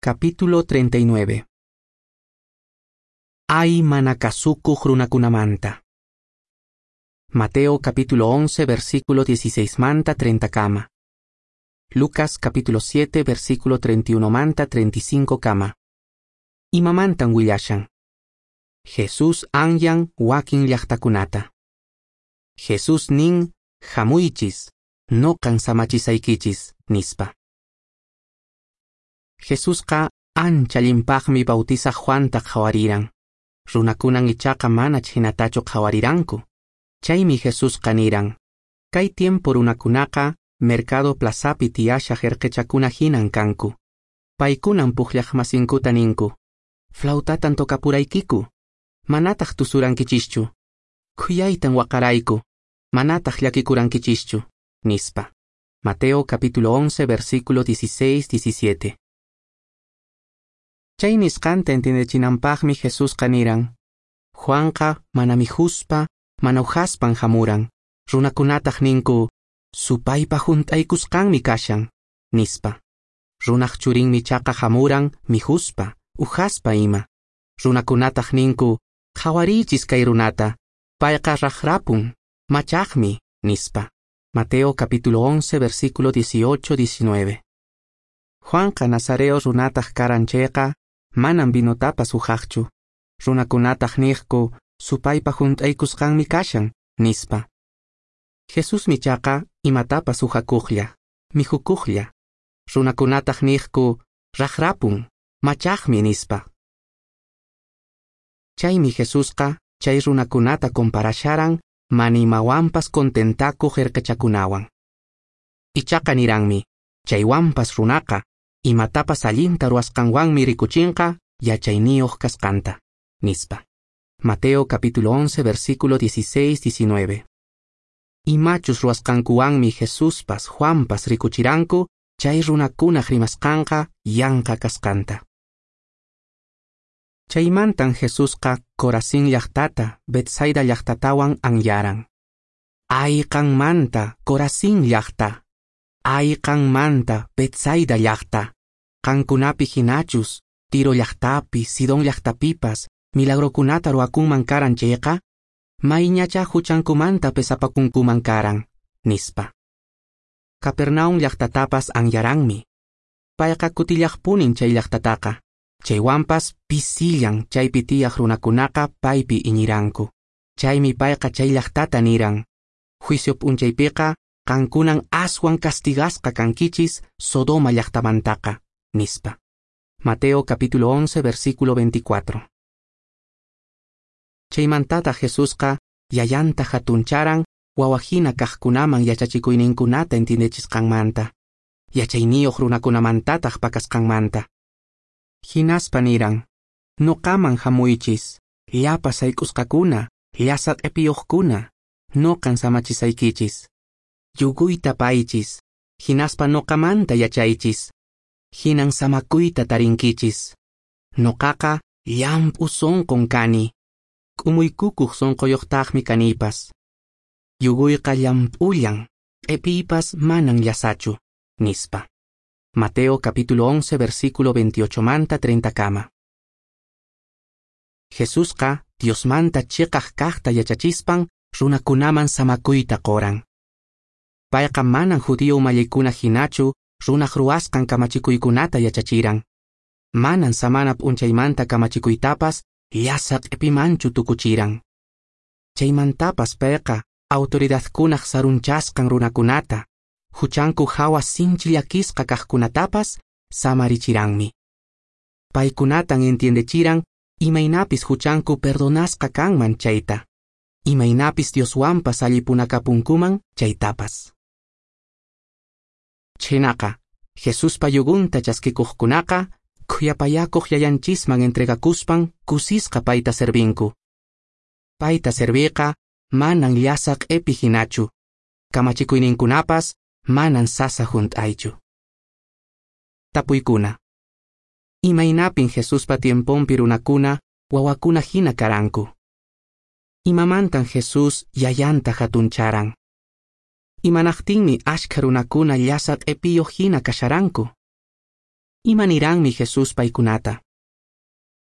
Capítulo 39. Ay mana kasukuq runakunamanta. Mateo capítulo 11 versículo 16 manta 30 kama. Lucas capítulo 7 versículo 31 manta 35 kama. Imamantan willashan. Jesús anyan wakin llaqtakunata. Jesús nin hamuychis, noqan samachisaykichis, nispa. Jesusqa ancha allinpaqmi bautizaq Juanta qhawariran. Runakunan ichaqa mana chhinatachu qhawariranku. Chaymi Jesusqa niran: Kay tiempo runakunaqa mercado plazapi tiyashaq erqechakuna hinan kanku. Paykunan pukllaqmasinkuta ninku: Flautatan tocapuraykiku, manataq tusurankichischu. Khuyaytan waqarayku, manataq llakikurankichischu, nispa. Mateo capítulo 11 versículo 16-17. Chay nisqanta entiendechinanpaqmi Jesusqa niran: Juanqa mana mikhuspa, mana uhaspan hamuran. Runakunataq ninku: Supaypa hunt'aykusqanmi kashan, nispa. Runaq churinmi chaqa hamuran mikhuspa, uhaspa ima. Runakunataq ninku: Qhawariychis kay runata, payqa raqrapun, machaqmi, nispa. Mateo capítulo 11 versículo 18-19. Juanqa nazareo runataq karan chayqa, manan vinotapas uhaqchu. Runakunataq niqku: Supaypa hunt'aykusqanmi kashan, nispa. Jesusmi chaqa imatapas uhakuqlla, mikhukuqlla. Runakunataq niqku: Raqrapun, machaqmi, nispa. Chaymi Jesusqa chay runakunata comparasharan mana imawanpas contentakuq erqechakunawan. Ichaqa niranmi: chaywanpas runaqa imatapas allinta ruwasqanwanmi rikuchinqa yachayniyuq kasqanta, nispa. Mateo capítulo 11 versículo 16-19. Imachus ruwasqankuwanmi Jesuspas Juanpas rikuchiranku chay runakunaq rimasqanqa yanqa kasqanta. Chaymantan Jesusqa Corazín llaqtata, Betsaida llaqtatawan anyaran. Ay qanmanta, Corazín llaqta! Ay qanmanta, Betsaida llaqta! Qankunapi hinachus, Tiro llaqtapi, Sidón llaqtapipas, milagrokunata ruwakunman karan chayqa, mayñacha huchankumanta pesapakunkuman karan, nispa. Capernaum llaqtatapas anyaranmi. Payqa kutillaqpunin chay llaqtataqa. Chaywanpas pisillan chaypi tiyaq runakunaqa paypi iñiranku. Chaymi payqa chay llaqtata niran: Juicio p'unchaypiqa qankunan aswan castigasqa kankichis Sodoma llaqtamantaqa, nispa. Mateo capítulo 11 versículo 24. Chaymantata Jesusqa yayanta hatuncharan wawahina kaqkunaman yachachikuyninkunata entiendechisqanmanta, yachayniyuq runakunamantataq pakasqanmanta. Hinaspa niran: Noqaman hamuychis, llapa sayk'usqakuna, llasa q'ipiyuqkuna, noqan samachisaykichis. Yuguyta paychis, hinaspa noqamanta yachaychis. Hinan samakuyta tarinkichis. Noqaqa llamp'u sonqon kani, k'umuykukuq sonqoyuqtaqmi kanipas. Yuguyqa llamp'ullan, q'ipiypas manan llasachu, nispa. Mateo capítulo 11 versículo 28 manta 30 kama. Jesusqa Diosmanta chiqaq kaqta yachachispan runakunaman samakuyta qoran. Payqa manan judío umallikuna hinachu runaq ruwasqan kamachikuykunata yachachiran. Manan samana p'unchaymanta kamachikuytapas llasa q'ipimanchu tukuchiran. Chaymantapas payqa autoridadkunaq sarunchasqan runakunata, huchanku hawa sinchi llakisqa kaqkunatapas samarichiranmi. Paykunatan entiendechiran imaynapis huchanku perdonasqa kanman chayta, imaynapis Dioswanpas allipunakapunkuman chaytapas. Chhaynaqa, Jesuspa yugunta chaskikuqkunaqa khuyapayakuq yayanchisman entregakuspan kusisqa payta servinku. Payta serviqa manan llasa q'ipi hinachu, kamachikuyninkunapas manan sasa hunt'aychu. Tapuykuna: Imaynapin Jesuspa tiemponpi runakuna wawakuna hina karanku? Imamantan Jesús yayanta hatuncharan? Imanaqtinmi ashkha runakuna llasa q'ipiyuq hina kasharanku? Ima niranmi Jesús paykunata?